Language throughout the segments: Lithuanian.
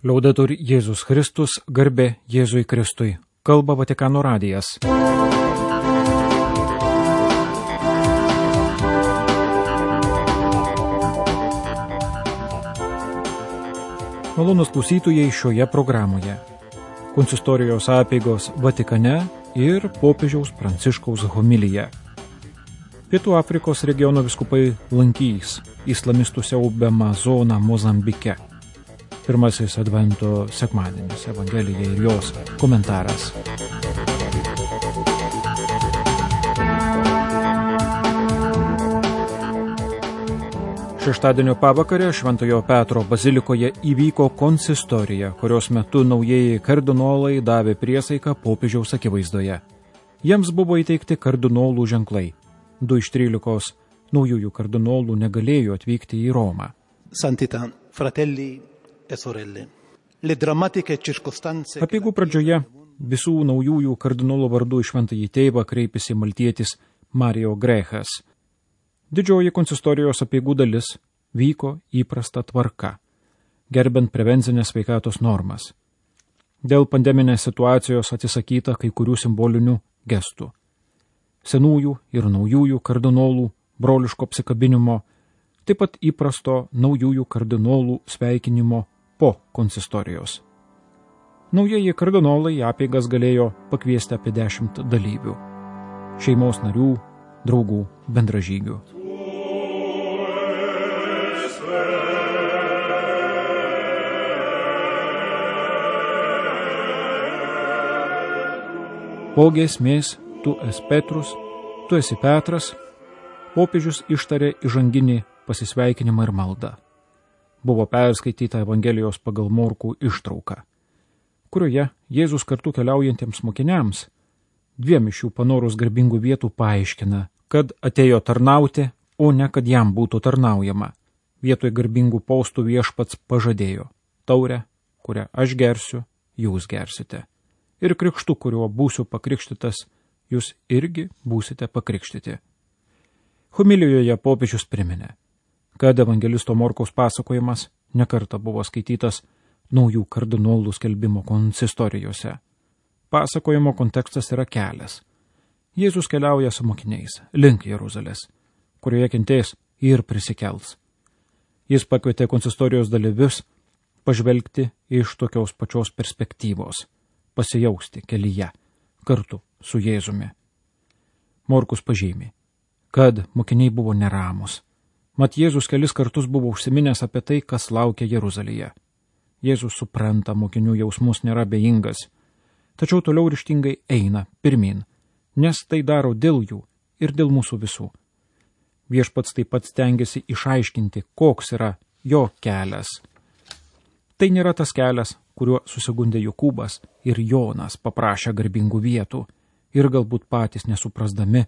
Liaudetur Jėzus Kristus, garbė Jėzui Kristui. Kalba Vatikano radijas. Malonūs klausytojai šioje programoje. Konsistorijos apeigos Vatikane ir popiežiaus Pranciškaus homilija. Pietų Afrikos regiono vyskupai lankys islamistų siaubiamą zoną Mozambike. Pirmasis Advento sekmadienis, Evangelija ir jos komentaras. Šeštadienio pavakarę Šventojo Petro bazilikoje įvyko konsistorija, kurios metu naujieji kardinolai davė priesaiką popiežiaus akivaizdoje. Jiems buvo įteikti kardinolų ženklai. 2 iš 13 naujųjų kardinolų negalėjo atvykti į Romą. Santità, fratelli e sorelle. Le drammatiche circostanze. Apeigų pradžioje visų naujųjų kardinolų vardu į Šventąjį Tėvą kreipėsi maltietis Mario Grechas. Didžioji konsistorijos apeigų dalis vyko įprasta tvarka, gerbent prevencinės sveikatos normas. Dėl pandeminės situacijos atsisakyta kai kurių simbolinių gestų. Senųjų ir naujųjų kardinolų broliško apsikabinimo, taip pat įprasto naujųjų kardinolų sveikinimo po konsistorijos. Naujieji kardinolai į apeigas galėjo pakviesti apie 10 dalyvių, šeimos narių, draugų, bendražygių. Po giesmės tu esi Petrus, tu esi Petras, popiežius ištarė įžanginį pasisveikinimą ir maldą. Buvo perskaityta Evangelijos pagal Morkų ištrauka, kurioje Jėzus kartu keliaujantiems mokiniams 2 iš jų panorus garbingų vietų paaiškina, kad atėjo tarnauti, o ne kad jam būtų tarnaujama. Vietoj garbingų postų viešpats pažadėjo: taurę, kurią aš gersiu, jūs gersite. Ir krikštu, kuriuo būsiu pakrikštytas, jūs irgi būsite pakrikštyti. Homilijoje popiežius priminė, kad evangelisto Morkaus pasakojimas nekartą buvo skaitytas naujų kardinolų skelbimo konsistorijose. Pasakojimo kontekstas yra kelias. Jėzus keliauja su mokiniais link Jeruzalės, kurioje kentės ir prisikels. Jis pakvietė konsistorijos dalyvius pažvelgti iš tokios pačios perspektyvos, pasijausti kelyje kartu su Jėzumi. Morkus pažymi, kad mokiniai buvo neramus. Mat Jėzus kelis kartus buvo užsiminęs apie tai, kas laukia Jeruzalėje. Jėzus supranta mokinių jausmus, nėra abejingas, tačiau toliau ryžtingai eina pirmin, nes tai daro dėl jų ir dėl mūsų visų. Viešpats taip pat stengiasi išaiškinti, koks yra jo kelias. Tai nėra tas kelias, kuriuo susigundė Jokūbas ir Jonas paprašė garbingų vietų ir galbūt patys nesuprasdami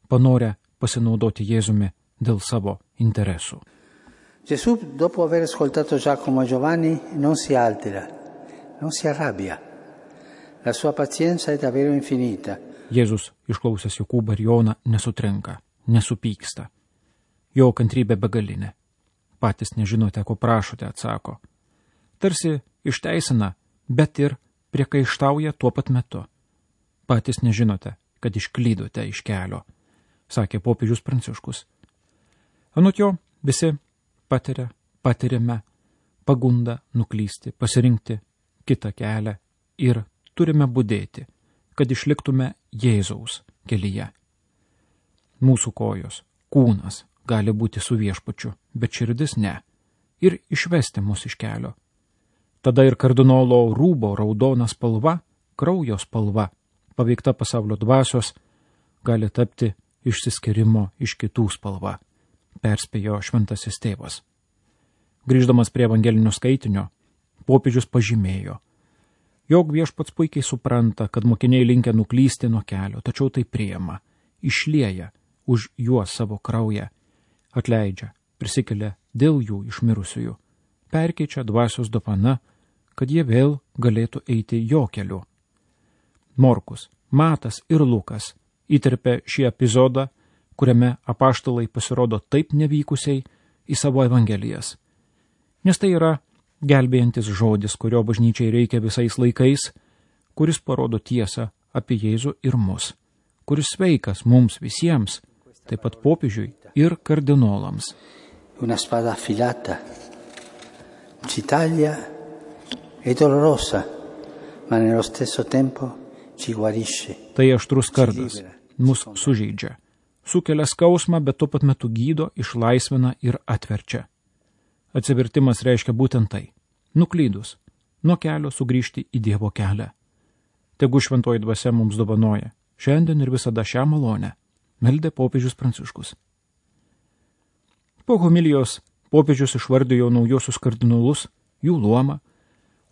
panorę pasinaudoti Jėzumi dėl savo interesų. Gesù, dopo aver ascoltato Giacomo e Giovanni, non si altera, non si arrabbia. La sua pazienza è davvero infinita. Jėzus, išklausęs Jokūbą ir Joną, nesutrinka, nesupyksta. Jo kantrybė begalinė. Patys nežinote, ko prašote, atsako. Tarsi išteisina, bet ir priekaištauja tuo pat metu. Patys nežinote, kad išklydote iš kelio, sakė popiežius Pranciškus. Anot jo, visi patiriame pagundą nuklysti, pasirinkti kitą kelią ir turime budėti, kad išliktume Jėzaus kelyje. Mūsų kojos, kūnas gali būti su viešpačiu, bet širdis ne, ir išvesti mus iš kelio. Tada ir kardinolo rūbo raudona spalva, kraujo spalva, paveikta pasaulio dvasios, gali tapti išsiskyrimo iš kitų spalva, perspėjo Šventasis Tėvas. Grįždamas prie evangelinio skaitinio, popiežius pažymėjo, jog viešpats puikiai supranta, kad mokiniai linkę nuklysti nuo kelio, tačiau tai priima, išlieja už juos savo kraują, atleidžia, prisikelia dėl jų iš mirusiųjų, perkeičia dvasios dovana, kad jie vėl galėtų eiti jo keliu. Morkus, Matas ir Lukas įterpė šį epizodą, kuriame apaštalai pasirodo taip nevykusiai į savo evangelijas. Nes tai yra gelbėjantis žodis, kurio bažnyčiai reikia visais laikais, kuris parodo tiesą apie Jėzų ir mus, kuris sveikas mums visiems, taip pat popiežiui ir kardinolams. Una spada affilata, ci taglia, è dolorosa, ma nello stesso tempo ci guarisce. Tai aštrus kardas, mus sužeidžia, sukelia skausmą, bet tuo pat metu gydo, išlaisvina ir atverčia. Atsivertimas reiškia būtent tai – nuklydus, nuo kelio sugrįžti į Dievo kelią. Tegu šventoji dvasia mums dovanoja, šiandien ir visada šią malonę, meldė popiežius Pranciškus. Po homilijos popiežius išvardijo naujosius kardinolus, jų luomą,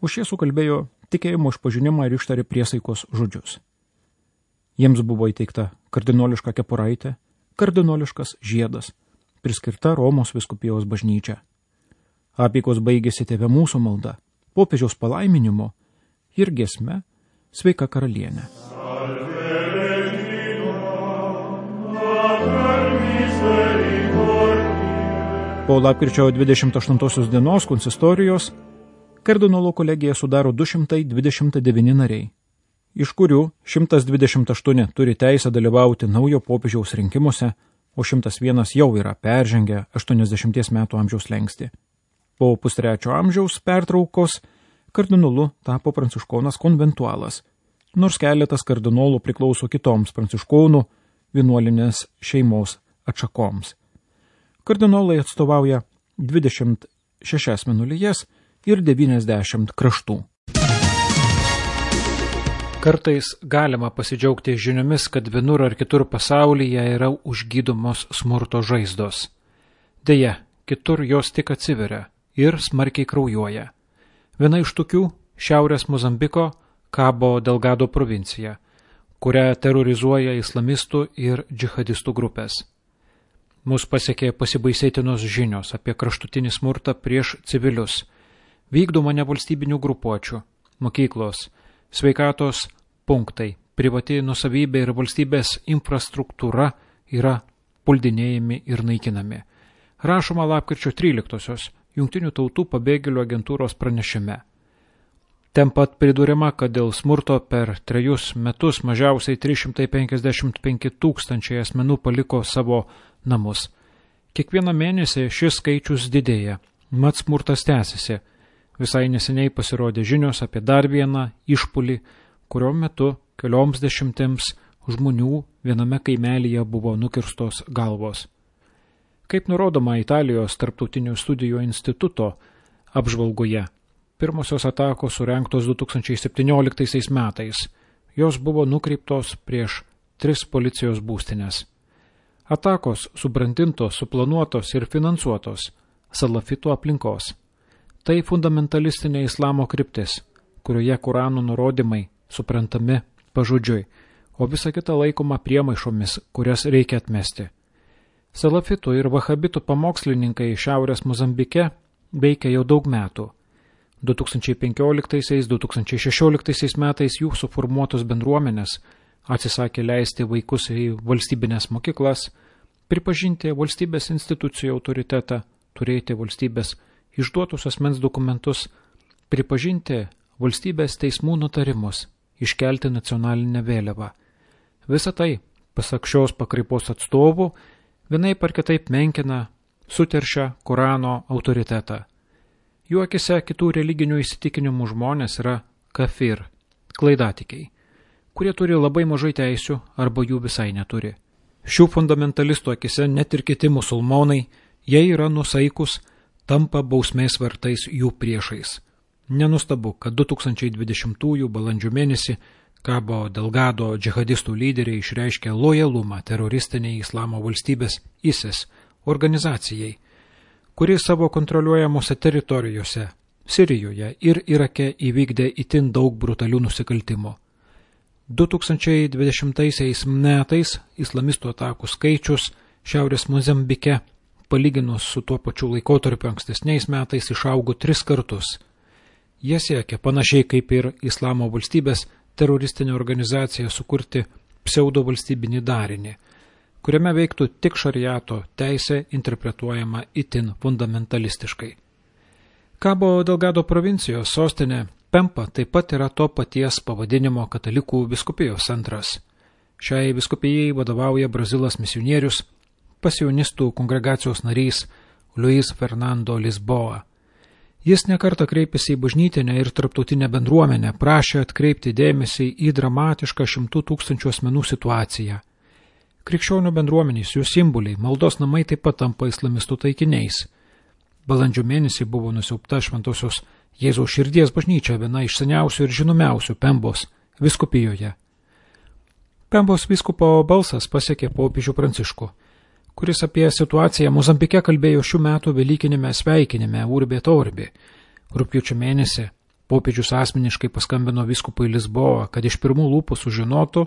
o šie sukalbėjo tikėjimo išpažinimą ir ištarė priesaikos žodžius. Jiems buvo įteikta kardinoliška kepuraitė, kardinoliškas žiedas, priskirta Romos vyskupijos bažnyčia. Apeikos baigėsi Tėve mūsų malda, popiežiaus palaiminimu ir giesme Sveika karalienė. Po lapkričio 28 dienos konsistorijos kardinolų kolegiją sudaro 229 nariai, iš kurių 128 turi teisę dalyvauti naujo popiežiaus rinkimuose, o 101 jau yra peržengę 80 metų amžiaus slenkstį. Po pustrečio amžiaus pertraukos kardinolu tapo pranciškonas konventualas, nors keletas kardinolų priklauso kitoms pranciškonų vienuolinės šeimos atšakoms. Kardinolai atstovauja 26 vienuolijas ir 90 kraštų. Kartais galima pasidžiaugti žiniomis, kad vienur ar kitur pasaulyje yra užgydomos smurto žaizdos. Deja, kitur jos tik atsiveria ir smarkiai kraujuoja. Viena iš tokių šiaurės Mozambiko Cabo Delgado provincija, kurią terorizuoja islamistų ir džihadistų grupės. Mus pasiekė pasibaisėtinos žinios apie kraštutinį smurtą prieš civilius, vykdomą nevalstybinių grupuočių, mokyklos, sveikatos punktai, privati nusavybė ir valstybės infrastruktūra yra puldinėjami ir naikinami. Rašoma lapkričio 13-osios Jungtinių tautų pabėgėlių agentūros pranešime. Ten pat pridūrima, kad dėl smurto per 3 metus mažiausiai 355 000 asmenų paliko savo namus. Kiekvieną mėnesį šis skaičius didėja, mat smurtas tęsiasi. Visai neseniai pasirodė žinios apie dar vieną išpulį, kurio metu kelioms dešimtims žmonių viename kaimelyje buvo nukirstos galvos. Kaip nurodoma Italijos tarptautinių studijų instituto apžvalgoje, pirmosios atakos surengtos 2017 metais. Jos buvo nukreiptos prieš 3 policijos būstinės. Atakos subrandintos, suplanuotos ir finansuotos salafitų aplinkos. Tai fundamentalistinė islamo kryptis, kurioje Kurano nurodymai suprantami pažodžiui, o visa kita laikoma priemaišomis, kurias reikia atmesti. Salafitų ir vahabitų pamokslininkai Šiaurės Mozambike veikia jau daug metų. 2015–2016 metais jų suformuotos bendruomenės atsisakė leisti vaikus į valstybinės mokyklas, pripažinti valstybės institucijų autoritetą, turėti valstybės išduotus asmens dokumentus, pripažinti valstybės teismų nutarimus, iškelti nacionalinę vėliavą. Visa tai, pasak šios pakraipos atstovų, vienaip ar kitaip menkina, suteršia Korano autoritetą. Jų akise kitų religinių įsitikinimų žmonės yra kafir, klaidatikiai, kurie turi labai mažai teisių arba jų visai neturi. Šių fundamentalistų akise net ir kiti musulmonai, jie yra nusaikus, tampa bausmės vertais jų priešais. Nenustabu, kad 2020 balandžio mėnesį Cabo Delgado džihadistų lyderiai išreiškė lojalumą teroristiniai Islamo valstybės ISIS organizacijai, kuri savo kontroliuojamose teritorijose Sirijoje ir Irake įvykdė itin daug brutalių nusikaltimų. 2020 metais islamistų atakų skaičius Šiaurės Mozambike, palyginus su tuo pačiu laikotarpiu ankstesniais metais, išaugo 3 kartus. Jie siekia, panašiai kaip ir Islamo valstybės teroristinė organizacija, sukurti pseudovalstybinį darinį, kuriame veiktų tik šariato teisė interpretuojama itin fundamentalistiškai. Cabo Delgado provincijos sostinė Pempa taip pat yra to paties pavadinimo katalikų vyskupijos centras. Šiai vyskupijai vadovauja Brazilas misionierius, pasionistų kongregacijos narys Luis Fernando Lisboa. Jis nekartą kreipėsi į bažnytinę ir tarptautinę bendruomenę, prašė atkreipti dėmesį į dramatišką 100 000 asmenų situaciją. Krikščionių bendruomenės, jų simboliai, maldos namai taip pat tampa islamistų taikiniais. Balandžio mėnesį buvo nusiaubta Šventosios Jėzaus širdies bažnyčia, viena iš seniausių ir žinomiausių Pembos vyskupijoje. Pembos vyskupo balsas pasiekė popiežių Pranciškų, kuris apie situaciją Mozambike kalbėjo šių metų velykinėme sveikinime Urbi et Orbi. Rugpjūčio mėnesį popiežius asmeniškai paskambino vyskupui Lisboa, kad iš pirmų lūpų sužinotų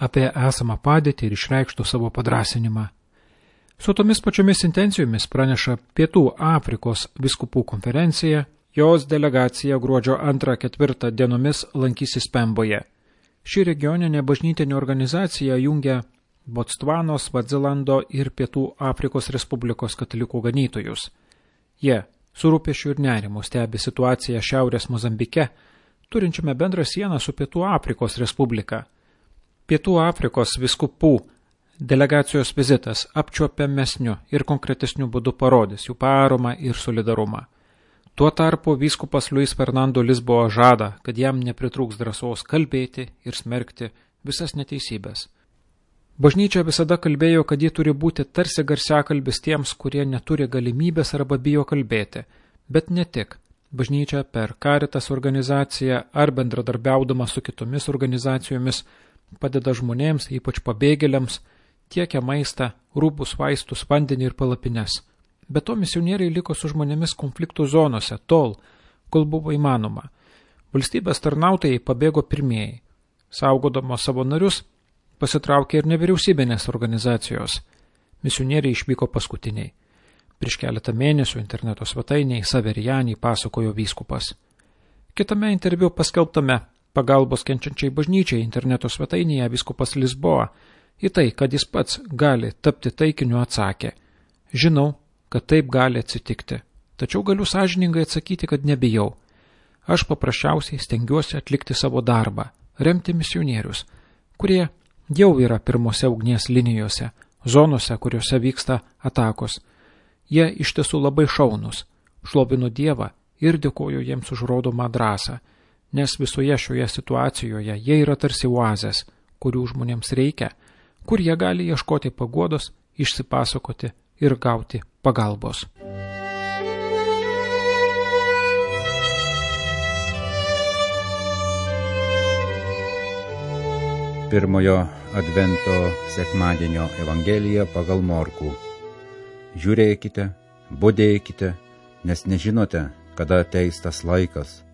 apie esamą padėtį ir išreikštų savo padrąsinimą. Su tomis pačiomis intencijomis praneša Pietų Afrikos vyskupų konferencija, jos delegacija gruodžio 2–4 dienomis lankysis Pemboje. Ši regioninė bažnytinė organizacija jungia Botsvanos, Svazilando ir Pietų Afrikos Respublikos katalikų ganytojus. Jie su rūpesčiu ir nerimu stebi situaciją Šiaurės Mozambike, turinčiame bendrą sieną su Pietų Afrikos Respublika. Pietų Afrikos vyskupų delegacijos vizitas apčiuopiamesniu ir konkretesniu būdu parodys jų paramą ir solidarumą. Tuo tarpu vyskupas Luis Fernando Lisboa žada, kad jam nepritrūks drąsos kalbėti ir smerkti visas neteisybės. Bažnyčia visada kalbėjo, kad ji turi būti tarsi garsiakalbis tiems, kurie neturi galimybės arba bijo kalbėti, bet ne tik. Bažnyčia per Caritas organizaciją ar bendradarbiaudama su kitomis organizacijomis padeda žmonėms, ypač pabėgėliams, tiekia maistą, rūbus, vaistus, vandenį ir palapines. Be to misionieriai liko su žmonėmis konfliktų zonose tol, kol buvo įmanoma. Valstybės tarnautojai pabėgo pirmieji. Saugodamos savo narius, pasitraukė ir nevyriausybinės organizacijos. Misionieriai išvyko paskutiniai. Prieš keletą mėnesių interneto svetainėje Saverijanį pasakojo vyskupas. Kitame interviu paskelbtame pagalbos kenčiančiai bažnyčiai interneto svetainėje vyskupas Lisboa į tai, kad jis pats gali tapti taikiniu, atsakė: žinau, kad taip gali atsitikti, tačiau galiu sąžiningai atsakyti, kad nebijau. Aš paprasčiausiai stengiuosi atlikti savo darbą, remti misionierius, kurie jau yra pirmose ugnies linijose, zonose, kuriuose vyksta atakos. Jie iš tiesų labai šaunus, šlovinu Dievą ir dėkoju jiems už rodomą drąsą, nes visoje šioje situacijoje jie yra tarsi oazės, kurių žmonėms reikia, kur jie gali ieškoti paguodos, išsipasakoti ir gauti pagalbos. Pirmojo advento sekmadienio evangelija pagal Morkų. Žiūrėkite, budėkite, nes nežinote, kada ateis tas laikas.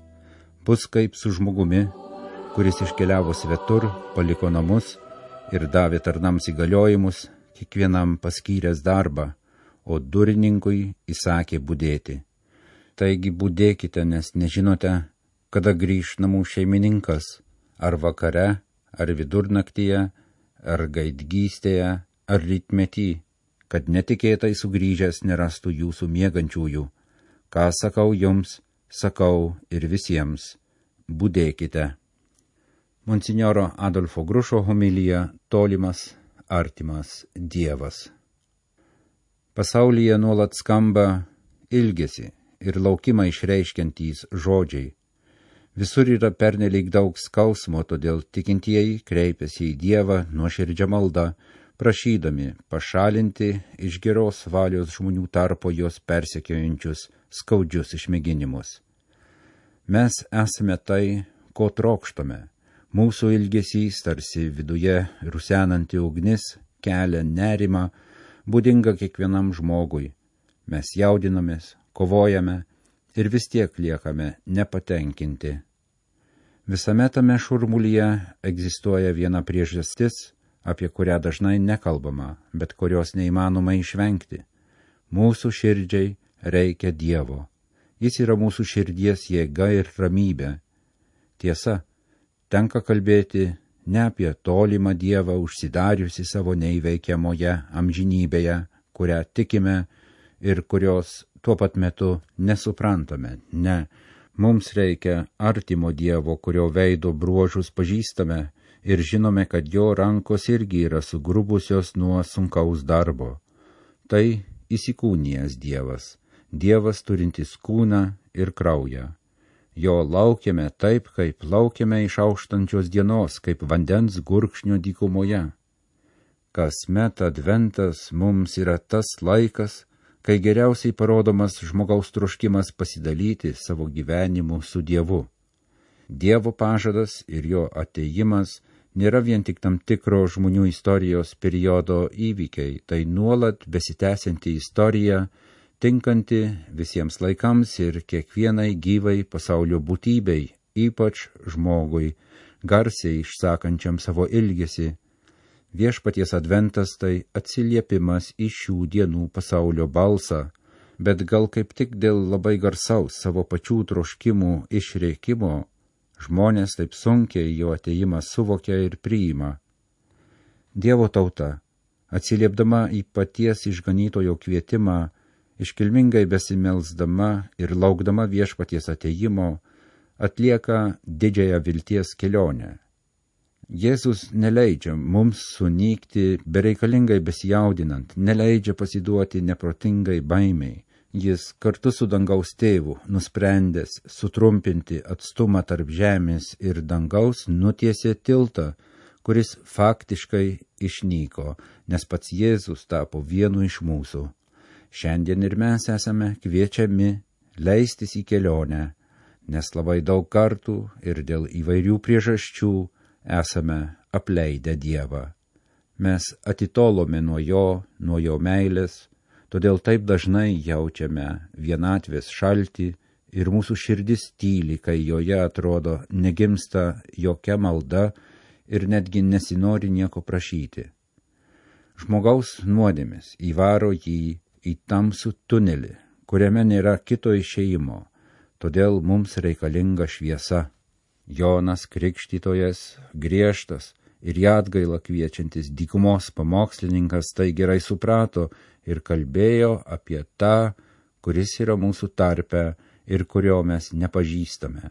Bus kaip su žmogumi, kuris iškeliavo svetur, paliko namus ir davė tarnams įgaliojimus, kiekvienam paskyręs darbą, o durininkui įsakė budėti. Taigi budėkite, nes nežinote, kada grįš namų šeimininkas, ar vakare, ar vidurnaktyje, ar gaidgystėje, ar rytmetį, kad netikėtai sugrįžęs nerastų jūsų miegančiųjų. Ką sakau jums, sakau ir visiems. Budėkite. Monsinjoro Adolfo Grušo homilija Tolimas, artimas Dievas. Pasaulyje nuolat skamba ilgesi ir laukimą išreiškiantys žodžiai. Visur yra pernelyg daug skausmo, todėl tikintieji kreipiasi į Dievą nuoširdžia malda, prašydami pašalinti iš geros valios žmonių tarpo jos persekiojančius skaudžius išmėginimus. Mes esame tai, ko trokštame. Mūsų ilgesys, tarsi viduje rusenanti ugnis, kelia nerimą, būdinga kiekvienam žmogui. Mes jaudinamės, kovojame ir vis tiek liekame nepatenkinti. Visame tame šurmulyje egzistuoja viena priežastis, apie kurią dažnai nekalbama, bet kurios neįmanoma išvengti. Mūsų širdžiai reikia Dievo. Jis yra mūsų širdies jėga ir ramybė. Tiesa, tenka kalbėti ne apie tolimą Dievą užsidariusi savo neįveikiamoje amžinybėje, kurią tikime ir kurios tuo pat metu nesuprantame, ne. Mums reikia artimo Dievo, kurio veido bruožus pažįstame ir žinome, kad jo rankos irgi yra sugrubusios nuo sunkaus darbo. Tai įsikūnijęs Dievas, Dievas turintis kūną ir kraują. Jo laukiame taip, kaip laukiame išauštančios dienos, kaip vandens gurkšnio dykumoje. Kasmet adventas mums yra tas laikas, kai geriausiai parodomas žmogaus troškimas pasidalyti savo gyvenimu su Dievu. Dievo pažadas ir jo atėjimas nėra vien tik tam tikro žmonių istorijos periodo įvykiai, tai nuolat besitęsianti istorija, tinkanti visiems laikams ir kiekvienai gyvai pasaulio būtybei, ypač žmogui, garsiai išsakančiam savo ilgesį. Viešpaties adventas tai atsiliepimas į šių dienų pasaulio balsą, bet gal kaip tik dėl labai garsaus savo pačių troškimų išreikimo žmonės taip sunkiai jo atėjimą suvokia ir priima. Dievo tauta, atsiliepdama į paties išganytojo kvietimą, iškilmingai besimelsdama ir laukdama viešpaties atėjimo, atlieka didžiąją vilties kelionę. Jėzus neleidžia mums sunykti bereikalingai besijaudinant, neleidžia pasiduoti neprotingai baimiai. Jis kartu su dangaus tėvu, nusprendęs sutrumpinti atstumą tarp žemės ir dangaus, nutiesė tiltą, kuris faktiškai išnyko, nes pats Jėzus tapo vienu iš mūsų. Šiandien ir mes esame kviečiami leistis į kelionę, nes labai daug kartų ir dėl įvairių priežasčių esame apleidę Dievą. Mes atitolome nuo jo meilės, todėl taip dažnai jaučiame vienatvės šaltį ir mūsų širdis tyli, kai joje atrodo negimsta jokia malda ir netgi nesinori nieko prašyti. Žmogaus nuodėmės įvaro jį į tamsų tunelį, kuriame nėra kito išėjimo, todėl mums reikalinga šviesa. Jonas Krikštytojas, griežtas ir į atgailą kviečiantis dykumos pamokslininkas, tai gerai suprato ir kalbėjo apie tą, kuris yra mūsų tarpe ir kurio mes nepažįstame.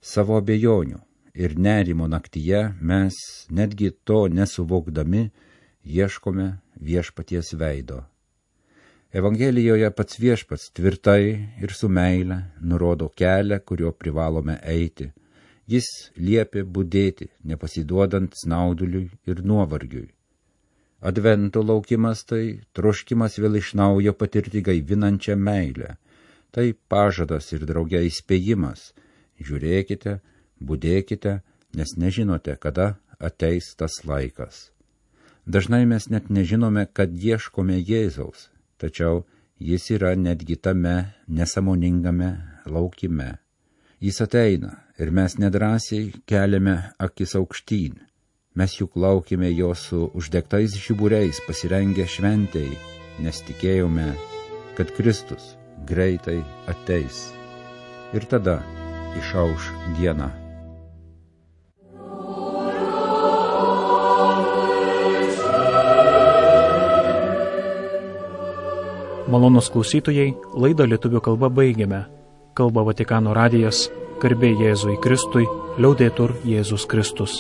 Savo abejonių ir nerimo naktyje mes, netgi to nesuvokdami, ieškome viešpaties veido. Evangelijoje pats viešpats tvirtai ir su meile nurodo kelią, kuriuo privalome eiti. Jis liepė budėti, nepasiduodant snauduliui ir nuovargiui. Advento laukimas tai troškimas vėl iš naujo patirti gaivinančią meilę. Tai pažadas ir drauge įspėjimas. Žiūrėkite, budėkite, nes nežinote, kada ateis tas laikas. Dažnai mes net nežinome, kad ieškome Jėzaus, tačiau jis yra netgi tame nesąmoningame laukime. Jis ateina ir mes nedrąsiai keliame akis aukštyn. Mes juk laukime jo su uždegtais žiburiais pasirengę šventei, nes tikėjome, kad Kristus greitai ateis. Ir tada išauš diena. Malonūs klausytojai, laidą lietuvių kalba baigiame. Kalba Vatikano radijas, garbė Jėzui Kristui, liaudetur Jėzus Kristus.